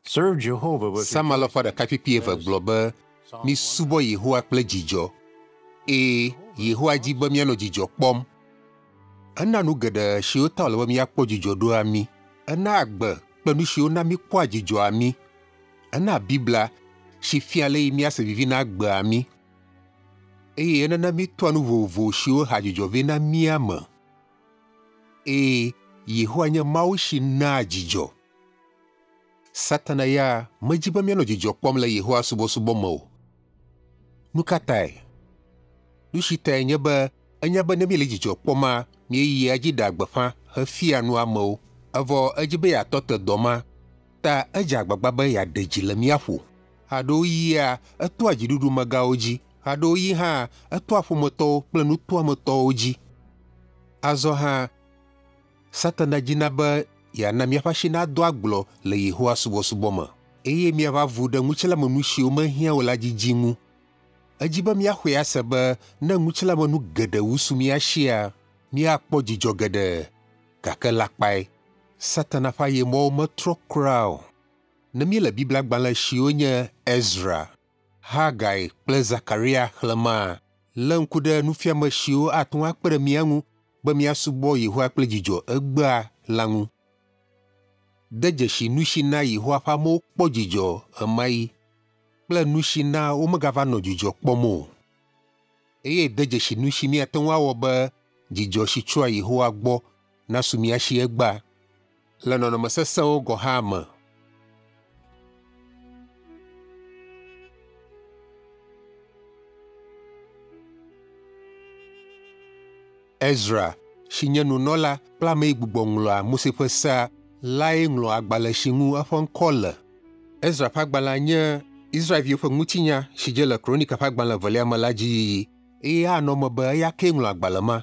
Serve Jehovah with Psalm alafa ɖeka kpikpi eve gblɔ be, Misubɔ Yehowa kple dzidzɔ. Ee, Yehowa di be míanɔ dzidzɔ kpɔm. Ena nu geɖe siwo ta wòle be míakpɔ dzidzɔ ɖoa mí. Ena agbe kple nu siwo na míkpɔa dzidzɔa mí. Ena Biblia si fia ale yi míase vivi na agbea mí. Eye enana mítoa nu vovovo siwo hea dzidzɔ vɛ na mía me. Ee, Yehowa nye Mawu si naa dzidzɔ. Satana ya medi be míanɔ dzidzɔ kpɔm le Yehowa subɔsubɔ me o. Nu ka tae? Nu si tae nye be enya be ne míele dzidzɔ kpɔma, míeyia edzi ɖea gbeƒã hefia nu amewo. Evɔ edzi be yeatɔ te dɔ ma, ta edze agbagba be yeaɖe dzi le mía ƒo. Ɣeaɖewoɣia, etoa dziɖuɖumegãwo dzi, ɣeaɖewoɣi hã etoa ƒometɔwo kple nutoametɔwo dzi. Azɔ hã, Satana dina be yeana míaƒe asi nado agblɔ le Yehowa subɔsubɔ me, eye míava vu ɖe ŋutilãmenu siwo mehiã o la didi ŋu. Edzi be míaxɔe ase be ne ŋutilãmenu geɖe wu su mía sia, míakpɔ dzidzɔ geɖe. Gake lakpae. Satana ƒe ayemɔwo metrɔ kura o. Ne míele Biblia-gbalẽ siwo nye Ezra, Hagai kple Zakaria xlẽmaa, lé ŋku ɖe nufiame siwo ate ŋu akpe ɖe mía ŋu be míasubɔ Yehowa kple dzidzɔ egbea la ŋu. De dzesi nu si na Yehowa ƒe amewo kpɔ dzidzɔ ɣemaɣi kple nu si na womegava nɔ dzidzɔ kpɔm o. Eye de dzesi nu si míate ŋu awɔ be dzidzɔ si tsoa Yehowa gbɔ nasu mía si egbea le nɔnɔme sesẽwo gɔ̃ hã me. Ezra, si nye nunɔla kple ame yi gbugbɔ ŋlɔa Mose ƒe Sea lae ŋlɔ agbalẽ si ŋu eƒe ŋkɔ le. Ezra ƒe agbalẽa nye Israelviwo ƒe ŋutinya si dze le Kronika ƒe agbalẽ evelia me la dzi yiyi, eye anɔ eme be eya kee ŋlɔ agbalẽ ma.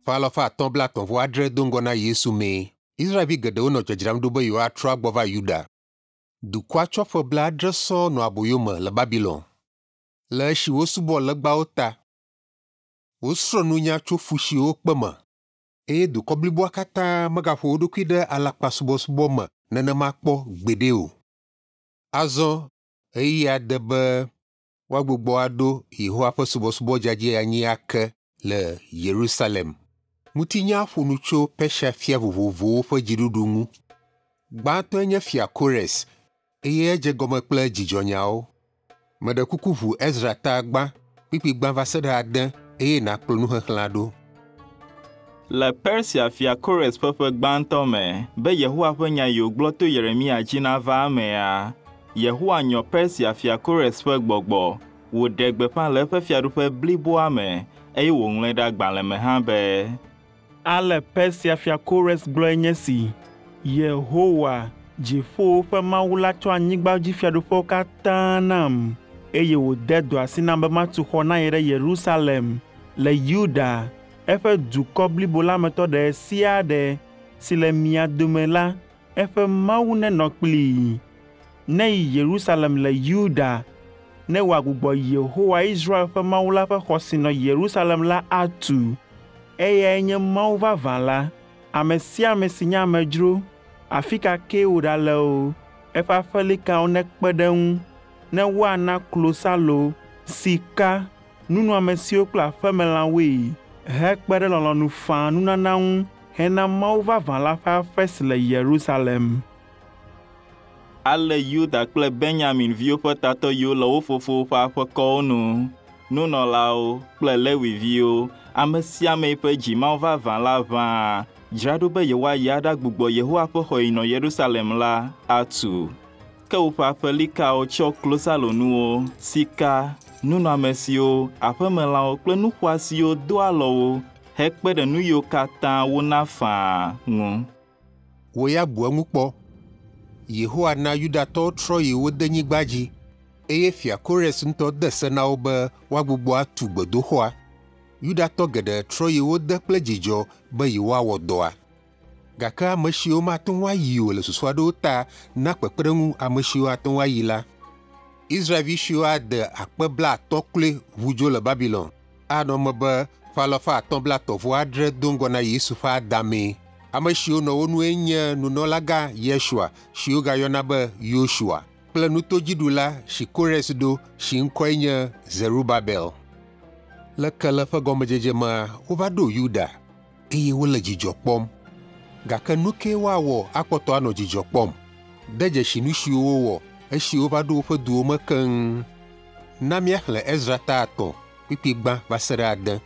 Ƒe alafa atɔ̃ blaetɔ̃ vɔ adre do ŋgɔ na Yesu mee Israelvi geɖewo nɔ dzadzram ɖo be yewoatrɔ agbɔ va Yuda. Dukɔa tsɔ ƒe blaadre sɔŋ nɔ aboyo me le Babilon, le esi wosubɔ legbawo ta. Wosrɔ̃ nunya tso fu siwo wokpe me, eye dukɔ bliboa katã megaƒo wo ɖokui ɖe alakpasubɔsubɔ me nenema kpɔ gbeɖe o. Azɔ ɣeyiɣia de be woagbugbɔ aɖo Yehowa ƒe subɔsubɔ dzadzɛ anyi ake le Yerusalem. Ŋutinya ƒo nu tso Persia fia vovovowo ƒe dziɖuɖu ŋu. Gbãtɔe nye fia Kores, eye edze gɔme kple dzidzɔnyawo. Meɖe kuku ʋu Ezra ta gbã, kpikpi gbã va se ɖe ade eye nàkplɔ nuxexlẽa ɖo. Le Persia fia Kores ƒe ƒe gbãtɔ me be Yehowa ƒe nya yi wògblɔ to Yeremia dzi nava emea, Yehowa nyɔ Persia fia Kores ƒe gbɔgbɔ, wòɖe gbeƒã le eƒe fiaɖuƒe bliboa me eye wòŋlɔe ɖe agbalẽ me hã be, Ale Persia fia Kores gblɔe nye si: Yehowa, dziƒowo ƒe Mawu la tsɔ anyigbadzifiaɖuƒewo katã nam, eye wòde dɔ asi nam be matu xɔ na ye ɖe Yerusalem le Yuda, eƒe dukɔ blibo la me tɔ ɖe sia ɖe si le mia dome la, eƒe Mawu nenɔ kplii. Neyi Yerusalem le Yuda, ne wòagbugbɔ Yehowa Israel ƒe Mawu la ƒe xɔ si nɔ Yerusalem la atu. Eyae nye Mawu vavã la. Ame sia ame si nye amedzro, afi ka kee wòɖale o, eƒe aƒelikawo nekpe ɖe eŋu, ne woana klosalo, sika, nunɔamesiwo kple aƒemelãwoe, hekpe ɖe lɔlɔ̃nu faa nunana ŋu hena Mawu vavã la ƒe aƒe si le Yerusalem. Ale Yuda kple Benyamin viwo ƒe tatɔ yiwo le wo fofowo ƒe aƒekɔwo nu, nunɔlawo kple Lewi viwo, ame sia ame ƒe dzi Mawu vavã la ʋã, dzra ɖo be yewoayi aɖagbugbɔ Yehowa ƒe xɔ yi nɔ Yerusalem la atu. Ke woƒe aƒelikawo tsɔ klosalonuwo, sika, nunɔamesiwo, aƒemelãwo kple nu xɔasiwo do alɔ wo hekpe ɖe nu yiwo katã wona faa ŋu. Wò ya bu eŋu kpɔ. Yehowa na Yudatɔwo trɔ yi wo denyigba dzi, eye fia Kores ŋutɔ de se na wo be woagbugbɔ atu gbedoxɔa. Yudatɔ geɖe trɔ yi wo de kple dzidzɔ be yewoawɔ dɔa. Gake ame siwo mate ŋu ayi o le susu aɖewo ta na kpekpeɖeŋu ame siwo ate ŋu ayi la. Israelvi siwo ade akpe blaatɔ̃ kloe ʋu dzo le Babilon. Anɔ eme be ƒe alafa atɔ̃ blaetɔ̃ vɔ adre do ŋgɔ na Yesu ƒe adamee. Ame siwo nɔ wo nue nye nunɔlagã Yesua si wogayɔna be Yosua kple nutodziɖula si Kores ɖo si ŋkɔe nye Zerubabel. Le kele ƒe gɔmedzedze mea, wova ɖo Yuda eye wole dzidzɔ kpɔm. Gake nu kae woawɔ akpɔtɔ anɔ dzidzɔ kpɔm? De dzesi nu siwo wowɔ esi wova ɖo woƒe duwo me keŋ. Na míaxlẽ Ezra ta 3 kpukpui 1 va se ɖe 6.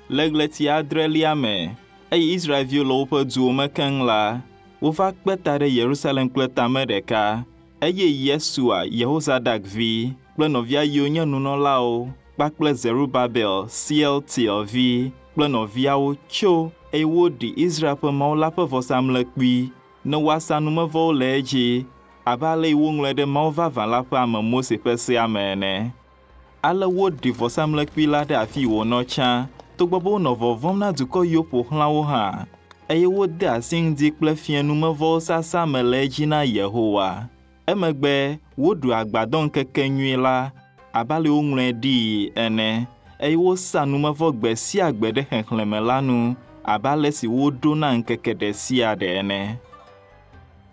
Le ɣleti adrelia me, eye Israelviwo le woƒe duwo me keŋ la, wova kpe ta ɖe Yerusalem kple tame ɖeka, eye Yesua, Yehozadak vi, kple nɔvia yiwo nye nunɔlawo kpakple Zerubabel, Sealtiel vi, kple nɔviawo tso eye woɖi Israel ƒe Mawu la ƒe vɔsamlekpui ne woasa numevɔwo le edzi abe ale yi woŋlɔe ɖe Mawu vavã la ƒe ame Mose ƒe sea me ene. Ale woɖi vɔsamlekpui la ɖe afi wònɔ tsã, togbɔ be wonɔ vɔvɔ̃m na dukɔ yiwo ƒo xlã wo hã, eye wode asi ŋdi kple fiẽ numevɔwo sasa me le edzi na Yehowa. Emegbe woɖu agbadɔŋkekenyui la abe ale woŋlɔe ɖii ene, eye wosa numevɔ gbe sia gbe ɖe xexlẽme la nu abe ale si woɖo na ŋkeke ɖe sia ɖe ene.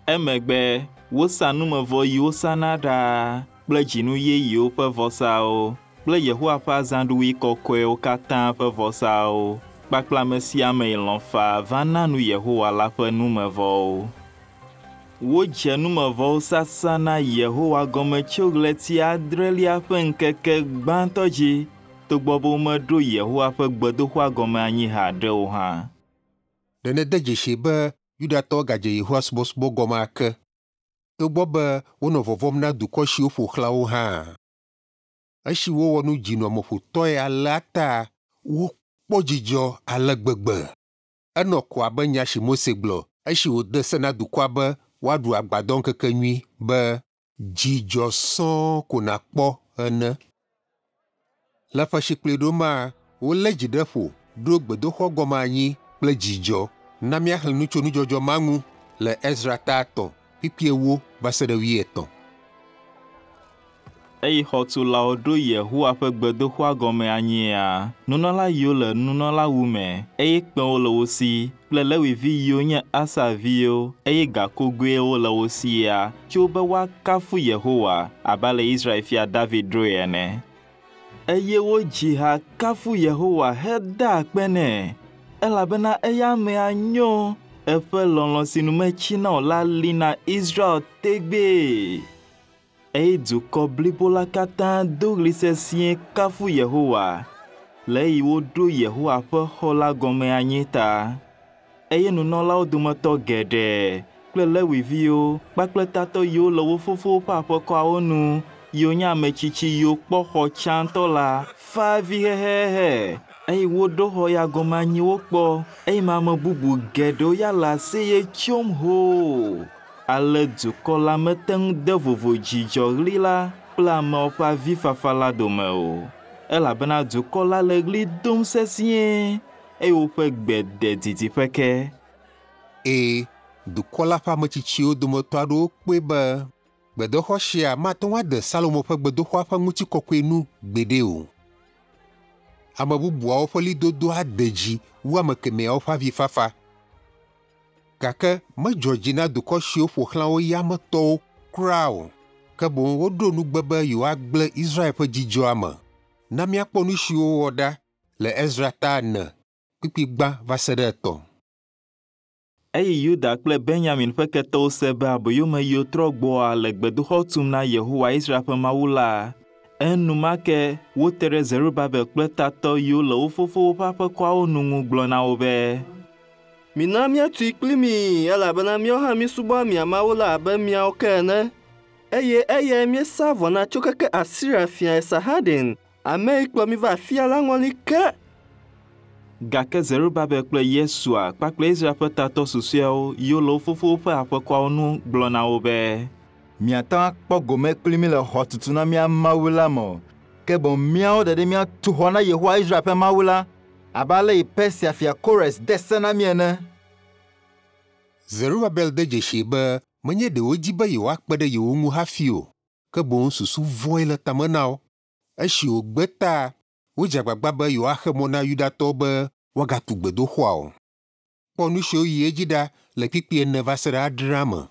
Emegbe wosa numevɔ yi wosana ɖaa kple dzinu yeyewo ƒe vɔsawo kple Yehowa ƒe azãɖuɣi kɔkɔewo katã ƒe vɔsawo kpakple ame sia ame yi lɔ̃ faa va na nu Yehowa la ƒe numevɔwo. Wodze numevɔwo sasa na Yehowa gɔme tso ɣleti adrelia ƒe ŋkeke gbãtɔ dzi, togbɔ be womeɖo Yehowa ƒe gbedoxɔa gɔme anyi haɖe o hã. Ɖe nède dzesi be Yudatɔwo gadze Yehowa subɔsubɔ gɔme ake, togbɔ be wonɔ vɔvɔ̃m na dukɔ siwo ƒo xlã wo hã. Esi wowɔ nu dzinɔameƒotɔe alea ta wokpɔ dzidzɔ ale gbegbe. Enɔ ko abe nya si Mose gblɔ esi wòde se na dukɔa be woaɖu agbadɔŋkekenyui be dzidzɔ sɔŋ ko nàkpɔ ene. Le ƒe si kplɔe ɖo mea, wolé dzi ɖe ƒo ɖo gbedoxɔ gɔme anyi kple dzidzɔ. Na míaxlẽ nu tso nudzɔdzɔ ma ŋu le Ezra ta 3 kpukpui 4 va se ɖe 8. Eye xɔtulawo ɖo Yehowa ƒe gbedoxɔa gɔme anyia, nunɔla yiwo le nunɔlawu me, eye kpẽwo le wo si, kple Lewivi yiwo nye Asaf viwo, eye gakogoewo le wo sia, tso be woakafu Yehowa abe ale Israel fia David ɖoe ene. Eye wodzi ha kafu Yehowa heda akpe nɛ, elabena eya amea nyo, eƒe lɔlɔ̃ si nu metsina o la li na Israel tegbee. Eye dukɔ blibo la katã do ɣli sesĩe kafu Yehowa le eyi woɖo Yehowa ƒe xɔ la gɔme anyi ta. Eye nunɔlawo dometɔ geɖe kple Lewiviwo kpakple tatɔ yiwo le wo fofowo ƒe aƒekɔawo nu yiwo nye ame tsitsi yiwo kpɔ xɔ tsãtɔ la fa avi hehehe eye woɖo xɔ ya gɔme anyi wokpɔ eye ame bubu geɖewo ya le aseye tsom hoo. Ale dukɔ la mete ŋu de vovo dzidzɔɣli la kple ameawo ƒe avifafa la dome o, elabena dukɔ la le ɣli dom sesĩe eye woƒe gbe de didiƒe ke. Eye dukɔ la ƒe ametsitsiwo dometɔ aɖewo kpɔe be gbedoxɔ sia mate ŋu ade Salomo ƒe gbedoxɔa ƒe ŋutikɔkɔe nu gbeɖe o. Ame bubuawo ƒe ɣlidodo ade dzi wu ame kemɛawo ƒe avifafa. Gake medzɔ dzi na dukɔ siwo ƒo xlã wo yametɔwo kura o, ke boŋ woɖo nugbe be yewoagblẽ Israel ƒe dzidzɔa me. Na míakpɔ nu siwo wowɔ ɖa le Ezra ta 4 kpukpui 1 va se ɖe 3. Eye Yuda kple Benyamin ƒe ketɔwo se be aboyome yiwo trɔ gbɔa le gbedoxɔ tum na Yehowa Israel ƒe Mawu la, enumake wote ɖe Zerubabel kple tatɔ yiwo le wo fofowo ƒe aƒekɔawo nu ŋu gblɔ na wo be, Mina míatui kpli mi, elabena míawo hã míesubɔa mia Mawu la abe miawo ke ene. Eye eyae míesa vɔ na tso keke Asiria fia Esarhadon, ame yi kplɔ mí va afia la ŋɔli ke. Gake Zerubabel kple Yesua kpakple Israel ƒe tatɔ susɔeawo yiwo le wo fofowo ƒe aƒekɔawo nu gblɔ na wo be, Miate ŋu akpɔ gome kpli mí le xɔtutu na mía Mawu la me o, ke boŋ míawo ɖeɖe míatu xɔ na Yehowa Israel ƒe Mawu la, abe ale yi Persia fia Kores de se na mí ene. Zerubabel de dzesi be menye ɖe wodi be yewoakpe ɖe yewo ŋu hafi o, ke boŋ susu vɔ̃e le tame na wo. Esi wògbe ta, wodze agbagba be yewoaxe mɔ na Yudatɔwo be woagatu gbedoxɔa o. Kpɔ nu siwo yi edzi ɖa le kpukpui 4 va se ɖe 6 me.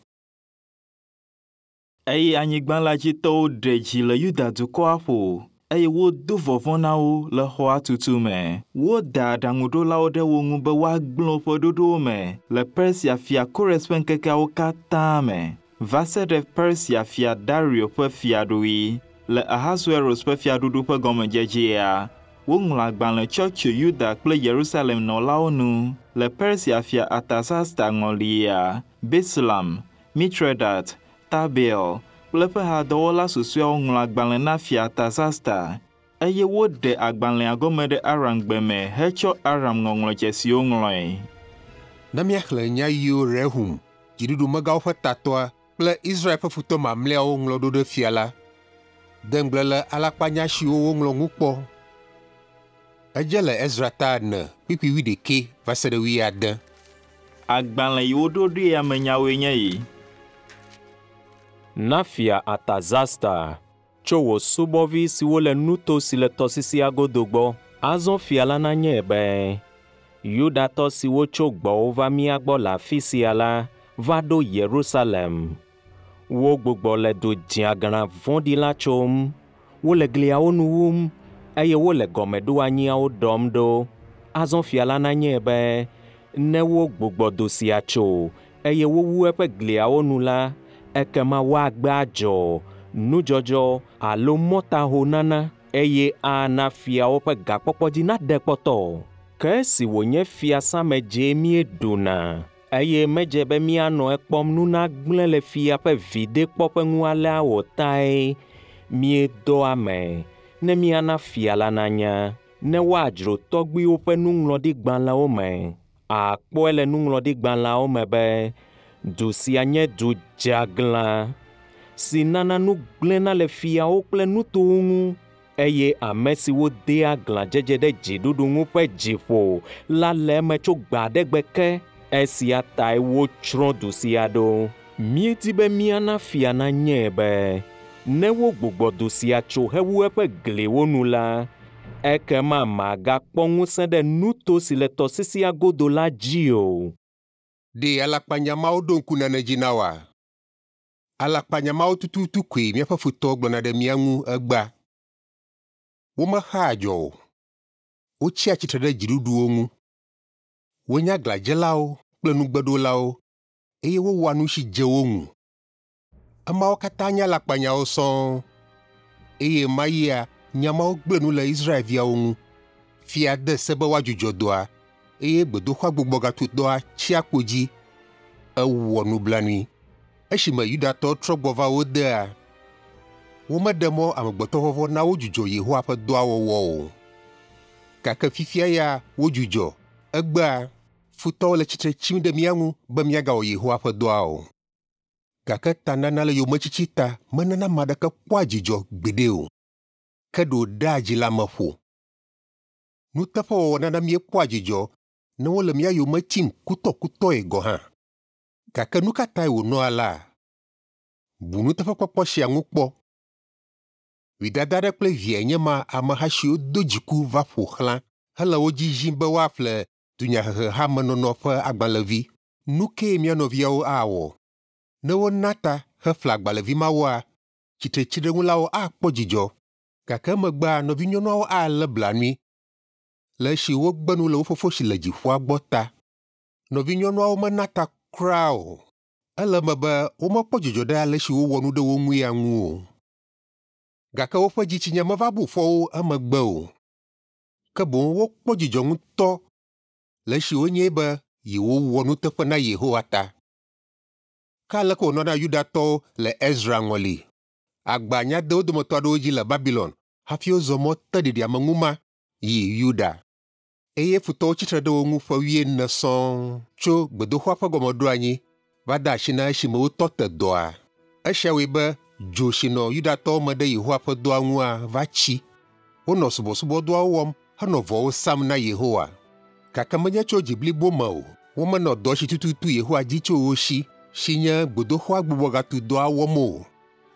Eye anyigba la dzi tɔwo ɖe dzi le Yuda dukɔa ƒo eye wodo vɔvɔ̃ na wo le xɔa tutu me. Woda aɖaŋuɖolawo ɖe wo ŋu be woagblẽ woƒe ɖoɖowo me le Persia fia Kores ƒe ŋkekeawo katã me va se ɖe Persia fia Dario ƒe fiaɖuɣi. Le Ahasuerus ƒe fiaɖuɖu ƒe gɔmedzedzea, woŋlɔ agbalẽ tsɔ tso Yuda kple Yerusalem nɔlawo nu le Persia fia Artasasta ŋɔlia, Bislam, Mitredat, Tabeel kple eƒe hadɔwɔla susɔeawo ŋlɔ agbalẽ na fia Artasasta eye woɖe agbalẽa gɔme ɖe Aramgbe me hetsɔ Aram ŋɔŋlɔdzesiwo ŋlɔe. Ne míaxlẽ nya yiwo Rehum, dziɖuɖumegãwo ƒe tatɔa kple Israel ƒe futɔ mamlɛawo ŋlɔ ɖo ɖe fia la, de ŋugble le alakpanya siwo woŋlɔ ŋu kpɔ. Edze le Ezra ta 4, kpukpui 21 va se ɖe 70. Agbalẽ yi woɖo ɖoea me nyawoe nye yi. Na fia Artasasta tso wò subɔvi siwo le nuto si le tɔsisia godo gbɔ. Azɔ fia la nanyae be Yudatɔ siwo tso gbɔwò va mía gbɔ le afi sia la va ɖo Yerusalem. Wogbugbɔ le du dzeaglã vɔ̃ɖi la tsom. Wole gliawo nu wum eye wole gɔmeɖoanyiawo ɖɔm ɖo. Azɔ fia la nanyae be ne wogbugbɔ du sia tso eye wowu eƒe gliawo nu la, ekema woagbe adzɔ, nudzɔdzɔ alo mɔtahonana eye ana fiawo ƒe gakpɔkpɔ dzi naɖe kpɔtɔ. Ke esi wònye fiasãme dzee míeɖuna eye medze be míanɔ ekpɔm nu nagblẽ le fia ƒe viɖekpɔƒe ŋu alea o tae míedɔ ame ne míana fia la nanya, ne woadzro tɔgbuiwo ƒe nuŋlɔɖigbalẽwo me. Àkpɔe le nuŋlɔɖigbalẽawo me be du sia nye du dzeaglã si nana nu gblẽna le fiawo kple nutowo ŋu eye ame siwo dea aglãdzedze ɖe dziɖuɖu ŋu ƒe dzi ƒo la le eme tso gbe aɖe gbe ke. Esia tae wotsrɔ̃ du sia ɖo. Míedi be míana fia nanyae be ne wogbugbɔ du sia tso hewu eƒe gliwo nu la, ekema magakpɔ ŋusẽ ɖe nuto si le tɔsisia godo la dzi o. Ɖe alakpanya mawo ɖo ŋku nane dzi na wòa? Alakpanya mawo tututu koe míaƒe futɔwo gblɔna ɖe mía ŋu egbea. Womexea adzɔ o. Wotsia tsitre ɖe dziɖuɖuwo ŋu. Wonye aglãdzelawo kple nugbeɖolawo eye wowɔa nu si dze wo ŋu. Emawo katã nye alakpanyawo sɔŋ eye mayia nya mawo gblẽ nu le Israelviawo ŋu. Fia de se be woadzudzɔ dɔa eye gbedoxɔa gbugbɔgatudɔa tsi akpo dzi. Ewɔ nublanui. Esime Yudatɔwo trɔ gbɔ va wo dea, womeɖe mɔ amegbetɔvɔvɔ̃ na wodzudzɔ Yehowa ƒe dɔa wɔwɔ o. Gake fifia ya wodzudzɔ. Egbea, futɔwo le tsitre tsim ɖe mía ŋu be míagawɔ Yehowa ƒe dɔa o. Gake tanana le yometsitsi ta menana ame aɖeke kpɔa dzidzɔ gbeɖe o. Ke ɖe wòɖea dzi le ame ƒo. Nuteƒewɔwɔ nana míekpɔa dzidzɔ ne wole mía yome tsim kutɔkutɔe gɔ̃ hã. Gake nu ka tae wònɔ alea? Bu nuteƒekpɔkpɔ sia ŋu kpɔ. Vidada aɖe kple viae nye ma ameha siwo do dziku va ƒo xlã hele wo dzi zim be woaƒle dunyahehehamenɔnɔ ƒe agbalẽvi. Nu kae mía nɔviawo awɔ? Ne wona ta heƒle agbalẽvi mawoa, tsitretsiɖeŋulawo akpɔ dzidzɔ. Gake emegbea nɔvinyɔnuawo alé blanui le esi wogbe nu le wo fofo si le dziƒoa gbɔ ta. Nɔvinyɔnuawo mena ta kura o. Ele eme be womekpɔ dzidzɔ ɖe ale si wowɔ nu ɖe wo ŋu ya ŋu o. Gake woƒe dzitsinya meva bu fɔ wo emegbe o. Ke boŋ wokpɔ dzidzɔ ŋutɔ le esi wonyae be yewowɔ nuteƒe na Yehowa ta. Ke aleke wònɔ na Yudatɔwo le Ezra ŋɔli? Agba nya de wo dometɔ aɖewo dzi le Babilon hafi wozɔ mɔ te ɖiɖiameŋu ma yi Yuda. Eye futɔwo tsitre ɖe wo ŋu ƒe 40 sɔŋ tso gbedoxɔa ƒe gɔmeɖoanyi va de asi na esime wotɔ te dɔa. Esia wɔe be dzo si nɔ Yudatɔwo me ɖe Yehowa ƒe dɔa ŋua va tsi. Wonɔ subɔsubɔdɔawo wɔm henɔ vɔwo sam na Yehowa. Gake menye tso dzi blibo me o. Womenɔ dɔ si tututu Yehowa dzi tso wo si, si nye gbedoxɔa gbugbɔgatudɔa wɔm o.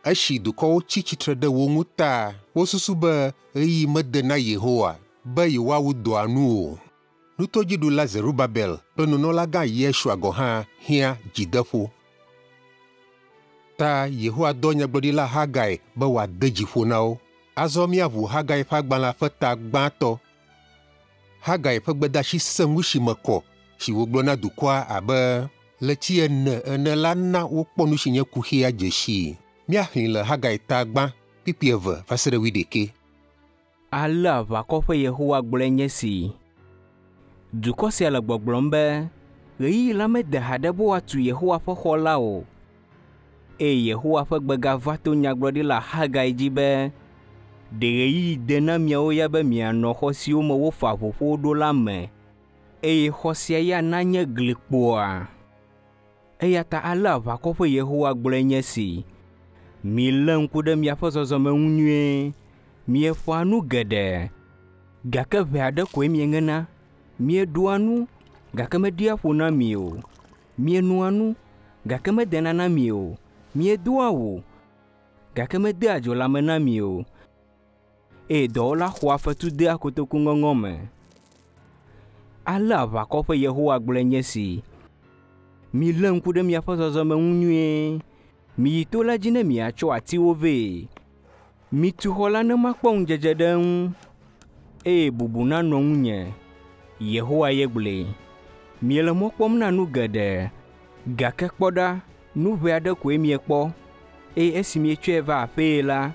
Esi dukɔwo tsi tsitre ɖe wo ŋu ta, wosusu be ɣeyiɣi mede na Yehowa be yewoawu dɔa nu o. Nutodziɖula Zerubabel kple nunɔlagã Yesua gɔ̃ hã hiã dzideƒo. Ta Yehowa dɔ nyagblɔɖila Hagai be wòade dzi ƒo na wo. Azɔ míaʋu Hagai ƒe agbalẽa ƒe ta gbãtɔ. Hagai ƒe gbedeasi sẽŋu si me kɔ si wògblɔ na dukɔa abe ɣleti ene ene la na wokpɔ nu si nye kuxia dze sii. Míaxlẽe le Hagai ta gbã, kpukpui eve va se ɖe wuiɖekɛ. Ale aʋakɔ ƒe Yehowa gblɔe nye esi. Dukɔ sia le gbɔgblɔm be, ɣeyiɣi la mede haɖe be woatu Yehowa ƒe xɔ la o. Eye Yehowa ƒe gbe gava to nyagblɔɖila Hagai dzi be, ɖe ɣeyiɣi de na miawo ya be mianɔ xɔ siwo me wofa ʋuƒowo ɖo la me, eye xɔ sia ya nanye glikpoa? Eya ta ale aʋakɔ ƒe Yehowa gblɔe nye esi. Milé ŋku ɖe miaƒe zɔzɔme ŋu nyuie. Mieƒoa nu geɖe, gake ʋɛ aɖe koe mieŋena. Mieɖua nu, gake meɖia ƒo na mi o. Mienoa nu, gake medena na mi o. Miedoa awu, gake medea dzo lãme na mi o. Eye dɔwɔla xɔa fetu dea kotoku ŋɔŋɔ me. Ale aʋakɔ ƒe Yehowa gblɔe nye esi. Milé ŋku ɖe miaƒe zɔzɔme ŋu nyuie. Miyi to la dzi ne miatsɔ atiwo vɛ. Mitu xɔ la ne makpɔ ŋudzedze ɖe eŋu, eye bubu nanɔ ŋunye. Yehowa ye gblɔe. Miele mɔ kpɔm na nu geɖe, gake kpɔ ɖa, nu ʋɛ aɖe koe miekpɔ, eye esi mietsɔe va aƒee la,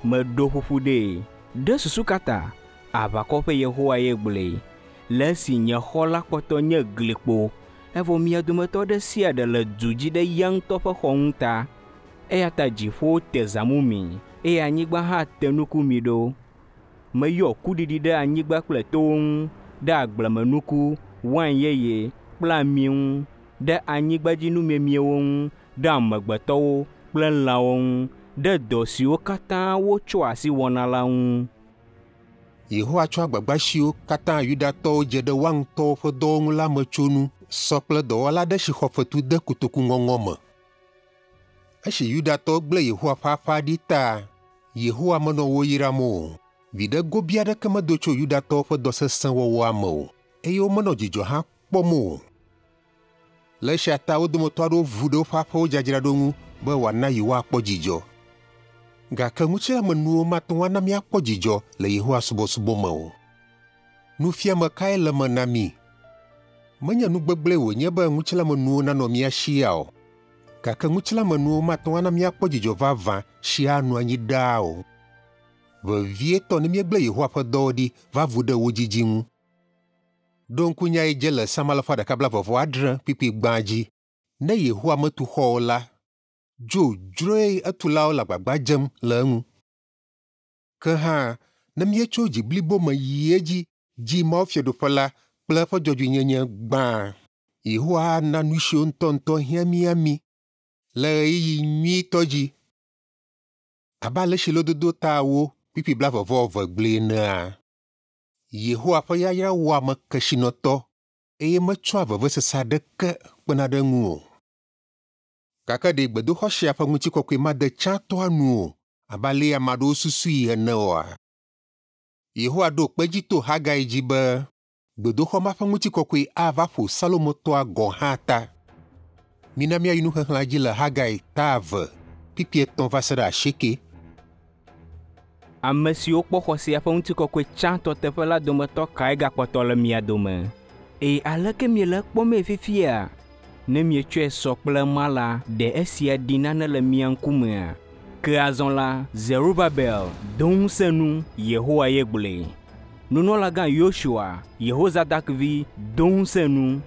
meɖo ƒuƒu ɖee. Ɖe susu ka ta? Aʋakɔ ƒe Yehowa ye gblɔe. Le esi nye xɔ la kpɔtɔ nye glikpo, evɔ mia dometɔ ɖe sia ɖe le du dzi ɖe ya ŋutɔ ƒe xɔ ŋu ta. Eya ta dziƒowo te zãmu mi, eye anyigba hã te nuku mi ɖo. Meyɔ kuɖiɖi ɖe anyigba kple towo ŋu, ɖe agblemenuku, wain yeye kple ami ŋu, ɖe anyigbadzinumiemiewo ŋu, ɖe amegbetɔwo kple lãwo ŋu, ɖe dɔ siwo katã wotsɔa asi wɔna la ŋu. Yehowa tsɔ agbagba siwo katã Yudatɔwo dze ɖe woa ŋutɔwo ƒe dɔwo ŋu la me tsonu sɔ kple dɔwɔla aɖe si xɔ fetu de kotoku ŋɔŋɔ me. Esi Yudatɔwo gblẽ Yehowa ƒe aƒea ɖi ta, Yehowa menɔ wo yram o. Viɖe gobi aɖeke medo tso Yudatɔwo ƒe dɔ sesẽ wɔwɔa me o, eye womenɔ dzidzɔ hã kpɔm o. Le esia ta wo dometɔ aɖewo vu ɖe woƒe aƒewo dzadzraɖo ŋu be wòana yewoakpɔ dzidzɔ. Gake ŋutilãmenuwo mate ŋu ana míakpɔ dzidzɔ le Yehowa subɔsubɔ me o. Nufiame kae le eme na mí? Menye nu gbegblẽe wònye be ŋutilãmenuwo nanɔ mía si ya o. Gake ŋutilãmenuwo mate ŋu ana míakpɔ dzidzɔ vavã si anɔ anyi ɖaa o. Vevietɔ ne míegblẽ Yehowa ƒe dɔwo ɖi va vu ɖe wo dzidzi ŋu. Ɖo ŋku nya yi dze le Psalm alafa ɖeka blaeve vɔ adre kpukpui gbã dzi. Ne Yehowa metu xɔ o la, dzodzroe etulawo le agbagba dzem le eŋu. Ke hã, ne míetso dzi blibo me yi edzi dzi Mawu Fiaɖuƒe la kple eƒe dzɔdzɔenyenye gbã, Yehowa ana nu siwo ŋutɔŋutɔ hiã mía mí le ɣeyiɣi nyuitɔ dzi. Abe ale si lododo ta ewo kpukpui blaeve vɔ eve gblɔe enea, Yehowa ƒe yayra wɔa ame kesinɔtɔ eye metsɔa vevesese aɖeke kpena ɖe eŋu o. Gake ɖe gbedoxɔ sia ƒe ŋutikɔkɔe made tsãtɔa nu o abe ale ame aɖewo susui ene oa? Yehowa ɖo kpe edzi to Hagai dzi be gbedoxɔ ma ƒe ŋutikɔkɔe ava ƒo Salomo tɔa gɔ̃ hã ta. Mina míayi nuxexlẽa dzi le Hagai ta eve kpukpui etɔ̃ va se ɖe asieke. Ame siwo kpɔ xɔ sia ƒe ŋutikɔkɔe tsãtɔ teƒe la dometɔ kae gakpɔtɔ le mia dome? Eye aleke miele ekpɔmee fifia? Ne mietsɔe sɔ kple ema la, ɖe esia ɖi nane le mia ŋkumea? Ke azɔ la, Zerubabel do ŋusẽ nu, Yehowa ye gblɔe. Nunɔlagã Yosua, Yehozadak vi, do ŋusẽ nu.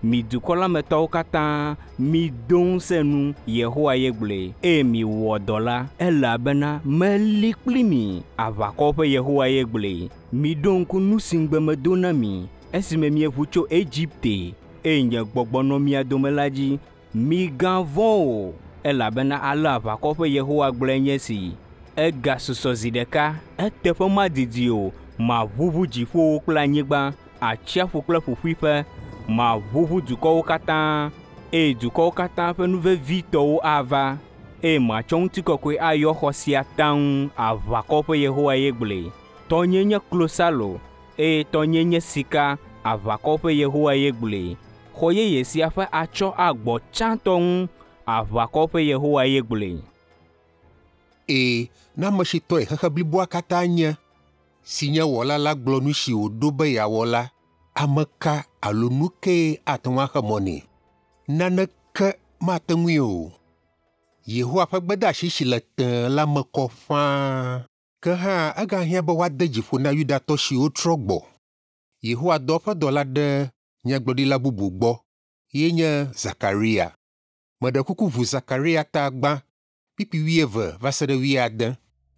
Mi dukɔ la me tɔwo katã, mido ŋusẽ nu, Yehowa ye gblɔe, eye miwɔ dɔ la, elabena meli kpli mi, aʋakɔwo ƒe Yehowa ye gblɔe. Miɖo ŋku nu si ŋugbe medo na mi esime mieʋu tso Egipte, eye nye gbɔgbɔ nɔ mia dome la dzi. Migavɔ̃ o, elabena ale aʋakɔ ƒe Yehowa gblɔe nye esi. Egasusɔ zi ɖeka, eteƒe madidi o, maʋuʋu dziƒowo kple anyigba, atsiaƒu kple ƒuƒuiƒe, maʋuʋu dukɔwo katã, eye dukɔwo katã ƒe nu vevitɔwo ava, eye matsɔ ŋutikɔkɔe ayɔ xɔ sia taŋ, aʋakɔ ƒe Yehowa ye gblɔe. Tɔnye nye klosalo, eye tɔnye nye sika. Aʋakɔwo ƒe Yehowa ye gblɔe. Xɔ yeye sia ƒe atsyɔ̃ agbɔ tsãtɔ ŋu. Aʋakɔwo ƒe Yehowa ye gblɔe. Ee, ne ame si tɔe xexe bliboa katã nye, si nye Wɔla la gblɔ nu si wòɖo be yeawɔ la, ame ka alo nu kae ate ŋu axe mɔ nɛ? Naneke mate ŋui o. Yehowa ƒe gbedeasi si le tẽe la me kɔ ƒãa. Ke hã egahiã be woade dzi ƒo na Yudatɔ siwo trɔ gbɔ. Yehowa dɔ eƒe dɔla ɖe nyagblɔɖila bubu gbɔ, ye nye Zakaria. Meɖe kuku ʋu Zakaria ta gbã, kpukpui 20 va se ɖe 70,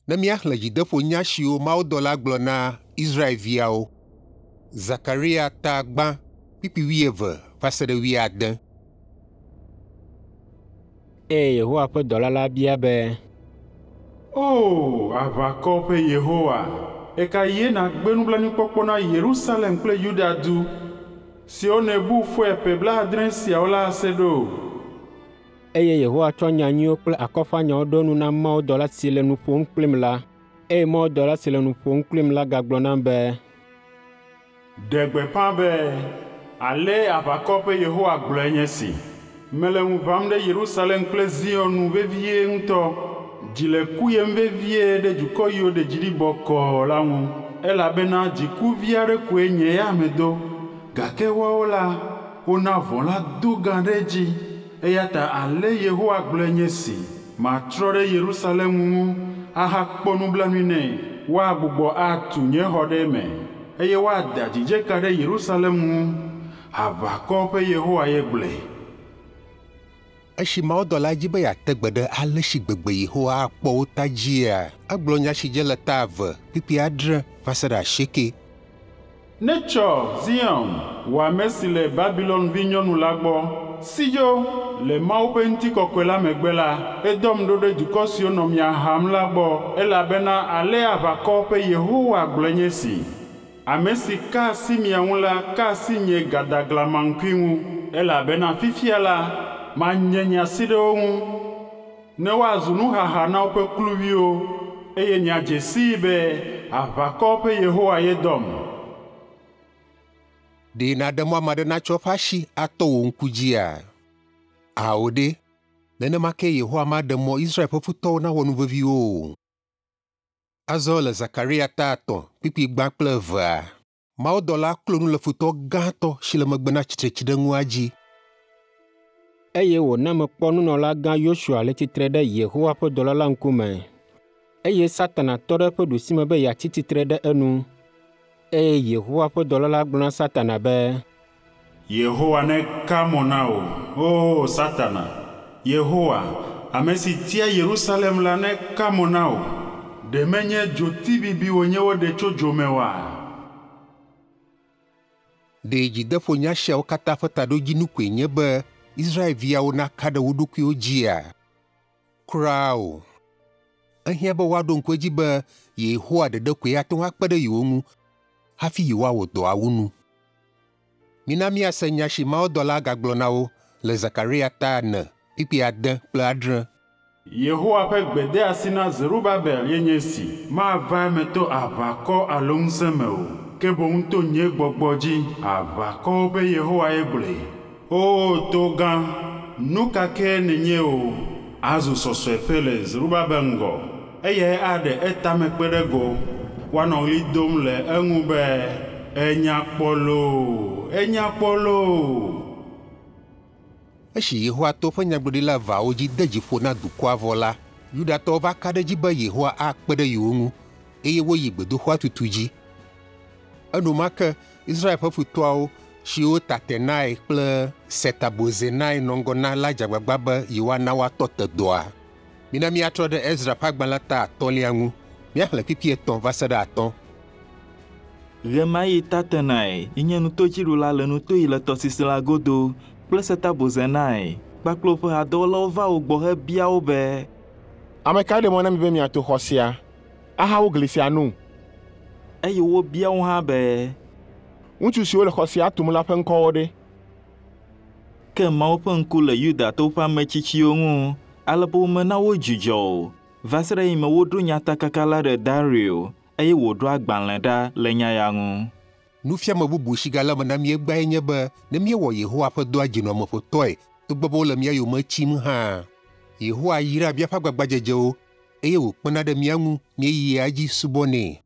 ne míaxlẽ dzideƒonya siwo mawudɔla gblɔ na Israelviawo. Zakaria ta gbã, kpukpui 20 va se ɖe 70. Eye Yehowa ƒe dɔla la bia be, O, aʋakɔ ƒe Yehowa, ɣe ka ɣie nàgbe nublanuikpɔkpɔ na Yerusalem kple Yuda du, siwo nèbu fɔe ƒe 70 siawo la ase ɖo? Eye Yehowa tsɔ nya nyuiwo kple akɔfanyawo ɖo nu na mawudɔla si le nu ƒom kplim la. Eye mawudɔla si le nu ƒom kplim la gagblɔ nam be, Ɖe gbeƒã be, ale aʋakɔ ƒe Yehowa gblɔe nye si. Mele ŋu ʋãm ɖe Yerusalem kple Zion nu vevie ŋutɔ. Dzi le kuyem vevie ɖe dukɔ yiwo ɖe dzi ɖi bɔkɔɔ la ŋu, elabena dziku vi aɖe koe nye ya medo. Gake woawo la, wona vɔ̃ la do gã ɖe edzi. Eya ta ale Yehowa gblɔe nye si, matrɔ ɖe Yerusalem ŋu ahakpɔ nublanui nɛ. Woagbugbɔ atu nye xɔ ɖe eme, eye woada dzidzeka ɖe Yerusalem ŋu. Aʋakɔ ƒe Yehowa ye gblɔe. Esi mawudɔla dzi be yeate gbe ɖe ale si gbegbe Yehowa akpɔ wo ta dzia, egblɔ nya si dze le ta 2, kpukpui 6 va se ɖe 8. Netsɔ Zion, wò ame si le Babilon vinyɔnu la gbɔ, si dzo le Mawu ƒe ŋutikɔkɔe la megbe la, edɔm ɖo ɖe dukɔ siwo nɔ mia ham la gbɔ, elabena ale aʋakɔ ƒe Yehowa gblɔe nye si. Ame si ka asi mia ŋu la ka asi nye gadaglamaŋkui ŋu, elabena fifia la, manye nye asi ɖe wo ŋu, ne woazu nuhaha na woƒe kluviwo, eye miadze sii be aʋakɔ ƒe Yehowa ye dɔm. Ɖe nàɖe mɔ ame aɖe natsɔ eƒe asi atɔ wò ŋku dzia? Ao ɖe, nenema ke Yehowa maɖe mɔ Israel ƒe futɔwo nawɔ nu vevi wo o. Azɔ le Zakaria ta 3, kpukpui 1 kple 2, mawudɔla klo nu le futɔ gãtɔ si le megbe na tsitretsiɖeŋua dzi. Eye wòna mekpɔ nunɔlagã Yosua le tsitre ɖe Yehowa ƒe dɔla la ŋkume. Eye Satana tɔ ɖe eƒe ɖusime be yeatsi tsitre ɖe enu. Eye Yehowa ƒe dɔla la gblɔ na Satana be, Yehowa neka mo na wò, o Satana! Yehowa, ame si tia Yerusalem la neka mo na wò. Ɖe menye dzotibibi wònye woɖe tso dzo me oa? Ɖe dzideƒonya siawo katã ƒe taɖodzinu koe nye be Israelviawo naka ɖe wo ɖokuiwo dzia? Kura o. Ehiã be woaɖo ŋku edzi be Yehowa ɖeɖe koe ate ŋu akpe ɖe yewo ŋu hafi yewoawɔ dɔa wu nu. Mina míase nya si mawudɔla gagblɔ na wo le Zakaria ta 4, kpukpui 6 kple 7. Yehowa ƒe gbedeasi na Zerubabel ye nye si, mava eme to aʋakɔ alo ŋusẽ me o, ke boŋ to nye gbɔgbɔ dzi, aʋakɔwo ƒe Yehowa ye gblɔe. O to gã, nu ka ke nènye o, azu sɔsɔeƒe le Zerubabel ŋgɔ, eyae aɖe etame kpe ɖe go. Woanɔ ɣli dom le eŋu be, enya kpɔ loo, enya kpɔ loo. Esi Yehowa to eƒe nyagblɔɖila eveawo dzi de dzi ƒo na dukɔa vɔ la, Yudatɔwo va ka ɖe edzi be Yehowa akpe ɖe yewo ŋu, eye woyi gbedoxɔa tutu dzi. Enumake Israel ƒe futɔawo, siwo Tatenai kple Setabozenai nɔ ŋgɔ na la dze agbagba be yewoana woatɔ te dɔa. Mina míatrɔ ɖe Ezra ƒe agbalẽ ta 3 ŋu, míaxlẽ kpukpui 3 va se ɖe 5. Ɣemaɣi Tatenai nye nutodziɖula le nuto yi le tɔsisi la godo kple Setabozenai kpakple woƒe hadɔwɔlawo va wo gbɔ hebia wo be, Ame kae ɖe mɔ na mi be miato xɔ sia ahawu gli sia nu? Eye wobia wo hã be, Ŋutsu siwo le xɔ sia tum la ƒe ŋkɔwo ɖe? Ke Mawu ƒe ŋku le Yudatɔwo ƒe ametsitsiwo ŋu, ale be womena wodzudzɔ o, va se ɖe esime woɖo nyatakaka la ɖe Dario, eye wòɖo agbalẽ ɖa le nya ya ŋu. Nufiame bubu si gale eme na mí egbeae nye be ne míewɔ Yehowa ƒe dɔa dzinɔameƒotɔe togbɔ be wole mía yome tsim hã, Yehowa yra míaƒe agbagbadzedzewo eye wòkpena ɖe mía ŋu míeyia edzi subɔnɛ.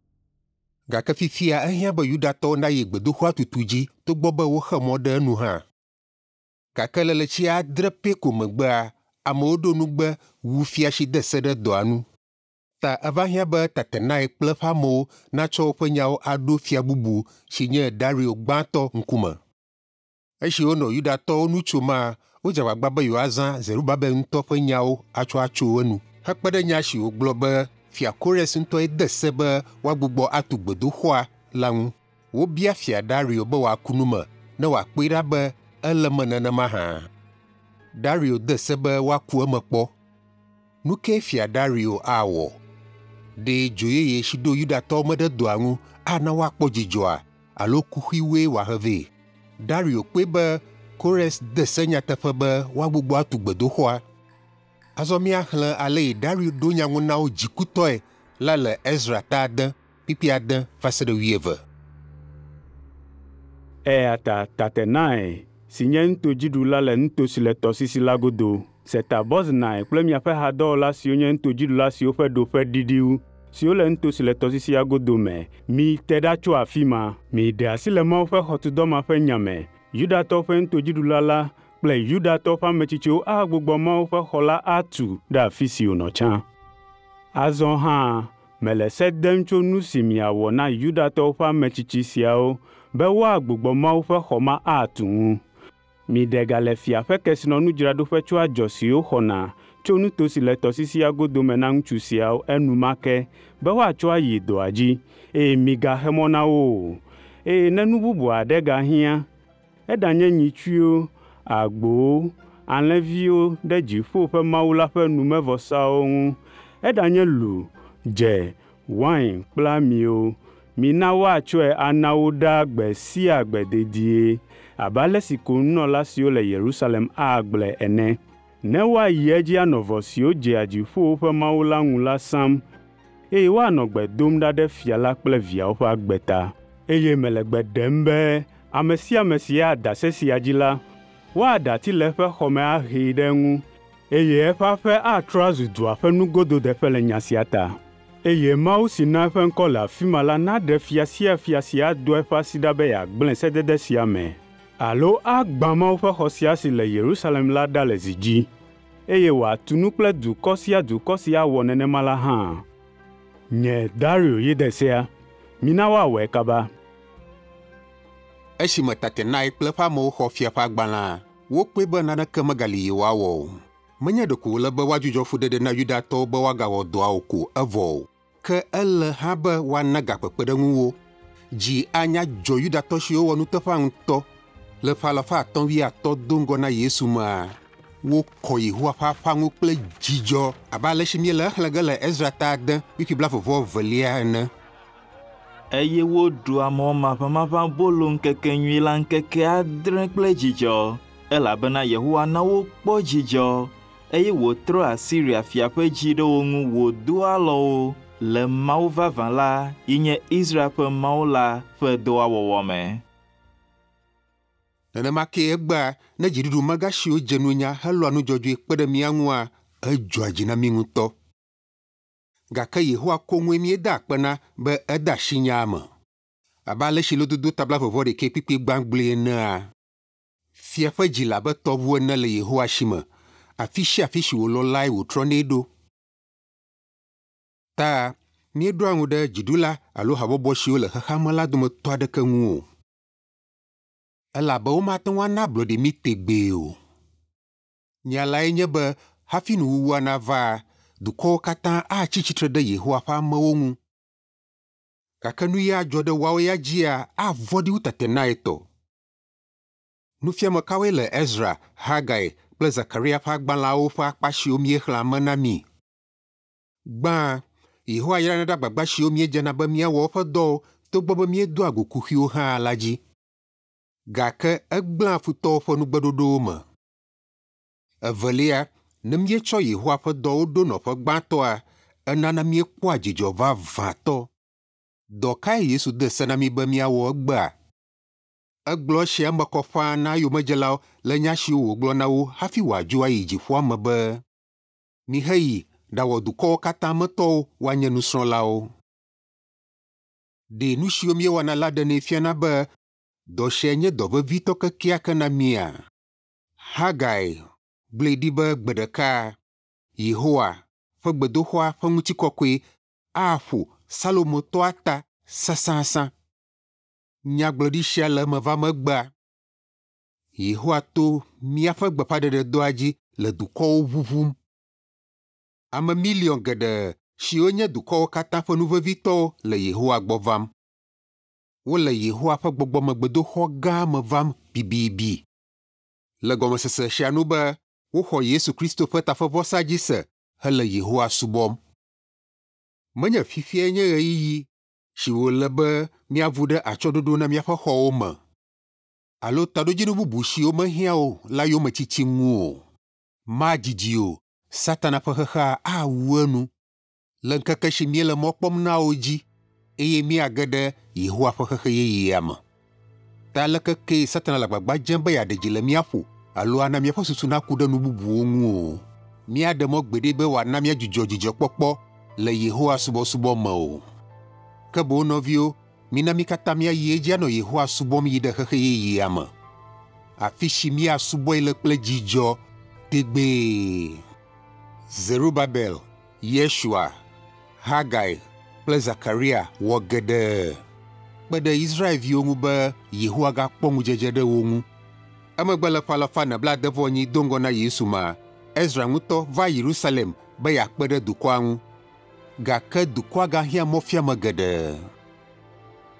Gake fifia ehiã be Yudatɔwo nayi gbedoxɔa tutu dzi togbɔ be woxe mɔ ɖe enu hã. Gake le ɣleti 6 pɛ ko megbea, amewo ɖo nugbe wu fia si de se ɖe dɔa nu. Ta eva hiã be Tatenai kple eƒe amewo natsɔ woƒe nyawo aɖo fia bubu si nye Dario gbãtɔ ŋkume. Esi wonɔ Yudatɔwo nu tsoma, wodze agbagba be yewoazã Zerubabel ŋutɔ ƒe nyawo atsɔ atso enu. Hekpe ɖe nya si wògblɔ be fia Kores ŋutɔe de se be woagbugbɔ atu gbedoxɔa la ŋu. Wobia fia Dario be wòaku nu me ne wòakpɔe ɖa be ele eme nenema hã. Dario de se be woaku eme kpɔ. Nu kae fia Dario awɔ? Ɖe dzo yeye si ɖo Yudatɔwo me ɖe dɔa ŋu ana woakpɔ dzidzɔa alo kuxiwoe wòahe vɛ? Dario kpɔe be Kores de se nyateƒe be woagbugbɔ atu gbedoxɔa. Azɔ míaxlẽ ale yi Dario ɖo nya ŋu na wo dzikutɔe la le Ezra ta 6, kpukpui 6 va se ɖe 20. Eya ta Tatenai, si nye nutodziɖula le nuto si le tɔsisi la godo, Setaboznai kple miaƒe hadɔwɔla siwo nye nutodziɖula siwo ƒe ɖoƒe ɖiɖi wu, siwo le nuto si le tɔsisia godo me, mite ɖa tso afi ma. Miɖe asi le Mawu ƒe xɔtudɔ ma ƒe nya me. Yudatɔwo ƒe nutodziɖula la kple Yudatɔwo ƒe ametsitsiwo agbugbɔ Mawu ƒe xɔ la atu ɖe afi si wònɔ tsã. Azɔ hã mele se dem tso nu si miawɔ na Yudatɔwo ƒe ametsitsi siawo be woagbugbɔ Mawu ƒe xɔ ma atu ŋu. Miɖe ga le fia ƒe kesinɔnudzraɖoƒe tso adzɔ siwo xɔna tso nuto si le tɔsisia godo me na ŋutsu siawo enumake be woatsɔ ayi dɔa dzi, eye migaxe mɔ na wo o. Eye ne nu bubu aɖe gahiã, eɖanye nyitsuiwo, agbowo, alẽviwo ɖe dziƒo ƒe Mawu la ƒe numevɔsawo ŋu, eɖanye lu, dze, wain kple amiwo, mina woatsɔe ana wo ɖaa gbe sia gbe dedie, abe ale si ko nunɔla siwo le Yerusalem agblɔe ene. Ne woayi edzi anɔ vɔ siwo dzea dziƒowo ƒe Mawu la ŋu la sam, eye woanɔ gbe dom ɖa ɖe fia la kple viawo ƒe agbe ta. Eye mele gbe ɖem be ame sia ame si ada se sia dzi la, woaɖe ati le eƒe xɔ me ahee ɖe eŋu, eye eƒe aƒe atrɔ azu dua ƒe nugododeƒe le nya sia ta. Eye Mawu si na eƒe ŋkɔ le afi ma la naɖe fia sia fia si ado eƒe asi ɖa be yeagblẽ sedede sia me, alo agbã Mawu ƒe xɔ sia si le Yerusalem la ɖa le zi dzi, eye wòatu nu kple dukɔ sia dukɔ si awɔ nenema la hã. Nye Dario ye de sea. Mina woawɔe kaba. Esime Tatenai kple eƒe amewo xɔ fia ƒe agbalẽa, wokpɔe be naneke megali yewoawɔ o. Menye ɖeko wòle be woadzudzɔ fuɖeɖe na Yudatɔwo be woagawɔ dɔa o ko evɔ o, ke ele hã be woana gakpekpeɖeŋu wo. Dzi anya dzɔ Yudatɔ siwo wɔ nuteƒea ŋutɔ. Le ƒe alafa 350 do ŋgɔ na Yesu mea, wokɔ Yehowa ƒe aƒea ŋu kple dzidzɔ abe ale si míele exlẽ ge le Ezra ta 6, kpukpui 22 ene. Eye woɖu amɔ maʋamaʋã bolo ŋkekenyui la ŋkeke 7 kple dzidzɔ, elabena Yehowa na wokpɔ dzidzɔ, eye wòtrɔ Asiria fia ƒe dzi ɖe wo ŋu wòdo alɔ wo le Mawu vavã la yi nye Israel ƒe Mawu la ƒe dɔa wɔwɔ me. Nenema kee egbea ne dziɖuɖumegã siwo dze nunya helɔa nu dzɔdzɔe kpe ɖe mía ŋua, edzɔa dzi na mí ŋutɔ. Gake Yehowa koŋue míeda akpe na be ede asi nyaa me. Abe ale si lododo ta 21 kpukpui gbã gblɔe enea, fia ƒe dzi le abe tɔʋu ene le Yehowa si me, afi sia afi si wòlɔ lae wòtrɔnɛ ɖo. Ta míeɖoa ŋu ɖe dziɖula alo habɔbɔ siwo le xexea me la dometɔ aɖeke ŋu o. Elabe womate ŋu ana ablɔɖe mí tegbee o. Nya lae nye be hafi nuwuwua nava, dukɔwo katã atsi tsitre ɖe Yehowa ƒe amewo ŋu. Gake nu ya adzɔ ɖe woawo ya dzia avɔ̃ɖi wu Tatenai tɔ. Nufiame kawoe le Ezra, Hagai kple Zakaria ƒe agbalẽawo ƒe akpa siwo míexlẽa me na mí? Gbã, Yehowa yrana ɖe agbagba siwo míedzena be míawɔ eƒe dɔwo togbɔ be míedoa go kuxiwo hã la dzi. Gake egblẽa futɔwo ƒe nugbeɖoɖowo me. Evelia, ne míetsɔ Yehowa ƒe dɔwo ɖo nɔƒe gbãtɔa, enana míekpɔa dzidzɔ vavãtɔ. Dɔ kae Yesu de se na mí be míawɔ egbea? Egblɔ esia eme kɔ ƒãa na eyomedzelawo le nya siwo wògblɔ na wo hafi wòadzo ayi dziƒoa me be, “Miheyi ɖawɔ dukɔwo katã me tɔwo woanye nusrɔ̃lawo.” Ɖe nu siwo míewɔna la ɖenɛ fiana be dɔ sia nye dɔ vevitɔ kekeake na mía? Hagai gblɔe ɖi be gbe ɖeka Yehowa ƒe gbedoxɔa ƒe ŋutikɔkɔe aƒo Salomo tɔa ta sãsãsã. Nyagblɔɖi sia le eme vam egbea. Yehowa to míaƒe gbeƒãɖeɖedɔa dzi le dukɔwo ʋuʋum. Ame miliɔn geɖe siwo nye dukɔwo katã ƒe nu vevitɔwo le Yehowa gbɔ vam. Wole Yehowa ƒe gbɔgbɔmegbedoxɔ gã me vam bibibi. Le gɔmesese sia nu be woxɔ Yesu Kristo ƒe tafevɔsa dzi se hele Yehowa subɔm. Menye fifiae nye ɣeyiɣi si wòle be míavu ɖe atsyɔ̃ɖoɖo na míaƒe xɔwo me alo taɖodzinu bubu siwo mehiã o la yometiti ŋu o. Madidi o, Satana ƒe xexea awu enu le ŋkeke si míele mɔ kpɔm na o dzi eye míage ɖe Yehowa ƒe xexe yeyea me. Ta aleke kee Satana le agbagba dzem be yeaɖe dzi le mía ƒo alo ana míaƒe susu naku ɖe nu bubuwo ŋu o, míaɖe mɔ gbeɖe be wòana míadzudzɔ dzidzɔkpɔkpɔ le Yehowa subɔsubɔ me o. Ke boŋ nɔviwo, mina mí katã míayi edzi anɔ Yehowa subɔm yi ɖe xexe yeyea me, afi si míasubɔe le kple dzidzɔ tegbee. Zerubabel, Yeshua, Hagai kple Zakaria wɔ geɖe kpe ɖe Israelviwo ŋu be Yehowa gakpɔ ŋudzedze ɖe wo ŋu. Emegbe le ƒe alafa ene blaade-vɔ-enyi do ŋgɔ na Yesu mea, Ezra ŋutɔ va Yerusalem be yeakpe ɖe dukɔa ŋu. Gake dukɔa gahiã mɔfiame geɖe.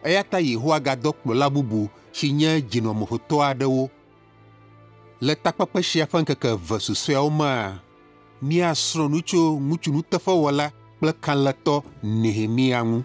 Eya ta Yehowa gadɔ kplɔla bubu si nye dzinɔameƒotɔ aɖewo. Le takpekpe sia ƒe ŋkeke eve susɔeawo mea, míasrɔ̃ nu tso ŋutsu nuteƒewɔla kple kalẽtɔ Nehemia ŋu.